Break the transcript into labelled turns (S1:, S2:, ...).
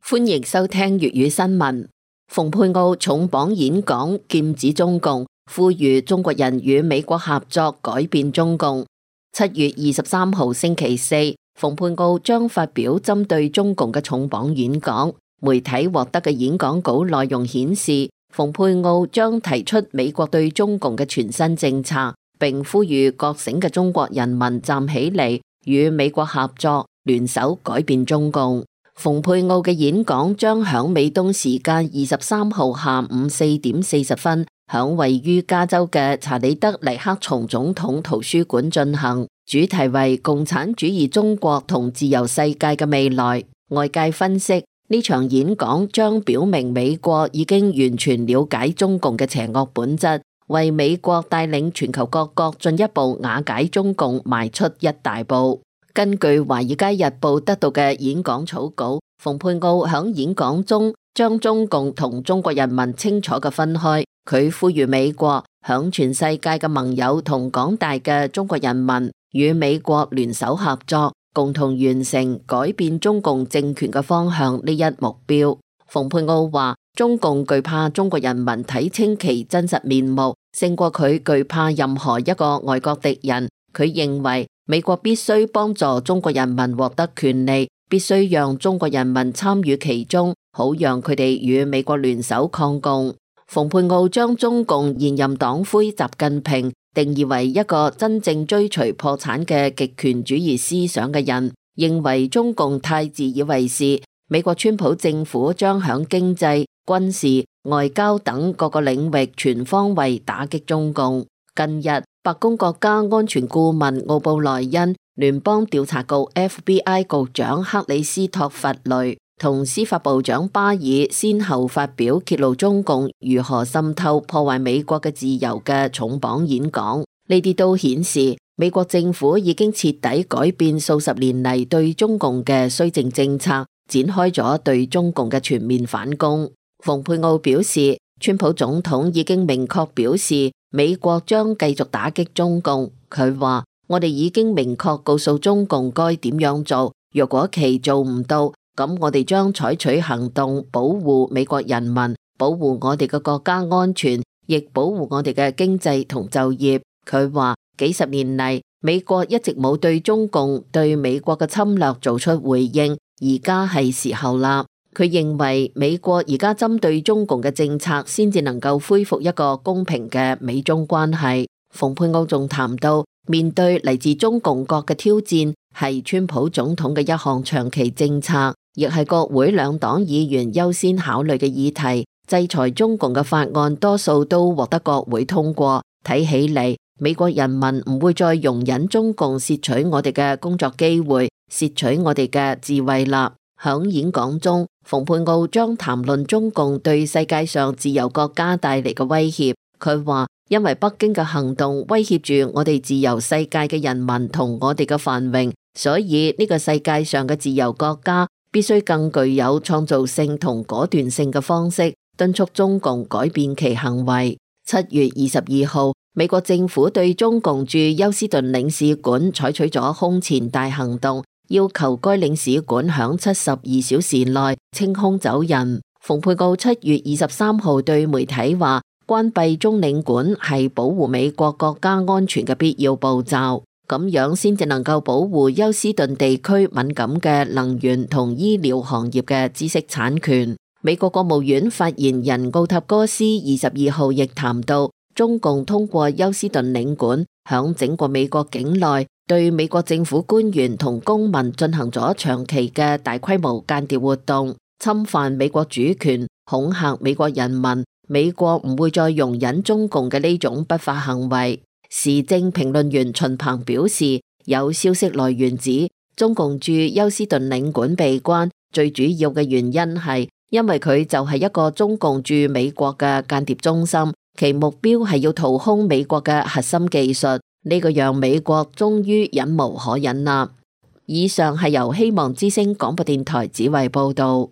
S1: 歡迎收聽粵語新聞。蓬佩奧重磅演講劍指中共，呼籲中國人與美國合作改變中共。7月23號星期四，蓬佩奧將發表針對中共嘅重磅演講。媒體獲得嘅演講稿內容顯示，蓬佩奧將提出美國對中共嘅全新政策，並呼籲覺醒嘅中國人民站起嚟，與美國合作，聯手改變中共。蓬佩奧嘅演講將響美東時間23號下午4點40分，響位於加州嘅查理德尼克松總統圖書館進行，主題為共產主義中國同自由世界嘅未來。外界分析，呢場演講將表明美國已經完全了解中共嘅邪惡本質，為美國帶領全球各國進一步瓦解中共邁出一大步。根據《華爾街日報》得到嘅演講草稿，蓬佩奧響演講中將中共同中國人民清楚嘅分開。佢呼籲美國響全世界嘅盟友同廣大嘅中國人民與美國聯手合作，共同完成改變中共政權嘅方向呢一目標。蓬佩奧話：中共懼怕中國人民睇清其真實面目，勝過佢懼怕任何一個外國敵人。佢認為美國必須幫助中國人民獲得權利，必須讓中國人民參與其中，好讓佢哋與美國聯手抗共。蓬佩奧將中共現任黨魁習近平定義為一個真正追隨破產嘅極權主義思想嘅人，認為中共太自以為是。美國川普政府將響經濟、軍事、外交等各個領域全方位打擊中共。近日，白宮國家安全顧問奧布萊恩、聯邦調查局 FBI 局長克里斯托弗雷同司法部長巴爾先後發表揭露中共如何滲透破壞美國嘅自由嘅重磅演講。呢啲都顯示美國政府已經徹底改變數十年嚟對中共嘅綏靖政策，展開咗對中共嘅全面反攻。蓬佩奧表示，川普總統已經明確表示美國將繼續打擊中共。佢話：我哋已經明確告訴中共該點樣做，若果其做唔到，咁我哋將採取行動保護美國人民，保護我哋嘅國家安全，亦保護我哋嘅經濟同就業。佢話：幾十年嚟，美國一直冇對中共對美國嘅侵略做出回應，而家係時候啦。佢認為美國而家針對中共嘅政策先至能夠恢復一個公平嘅美中關係。蓬佩奧仲談到，面對嚟自中共國嘅挑戰，係川普總統嘅一項長期政策，亦係國會兩黨議員優先考慮嘅議題。制裁中共嘅法案多數都獲得國會通過，睇起嚟美國人民唔會再容忍中共竊取我哋嘅工作機會，竊取我哋嘅智慧啦。響演講中，蓬佩奧將談論中共對世界上自由國家帶嚟嘅威脅。佢話：因為北京嘅行動威脅住我哋自由世界嘅人民同我哋嘅繁榮，所以呢個世界上嘅自由國家必須更具有創造性同果斷性嘅方式，敦促中共改變其行為。7月22號，美國政府對中共駐休斯頓領事館採取咗空前大行動，要求該領事館響72小時內清空走人。蓬佩奧7月23號對媒體話：關閉中領館係保護美國國家安全嘅必要步驟，咁樣先至能夠保護休斯頓地區敏感嘅能源同醫療行業嘅知識產權。美國國務院發言人奧塔哥斯22號亦談到，中共通過休斯頓領館響整個美國境內對美國政府官員同公民進行咗長期嘅大規模間諜活動，侵犯美國主權，恐嚇美國人民。美國唔會再容忍中共嘅呢種不法行為。時政評論員秦鵬表示，有消息來源指，中共駐休斯頓領館被關，最主要嘅原因係因為佢就係一個中共駐美國嘅間諜中心，其目標係要掏空美國嘅核心技術。呢個讓美國終於忍無可忍啦。以上係由希望之聲廣播電台指揮報道。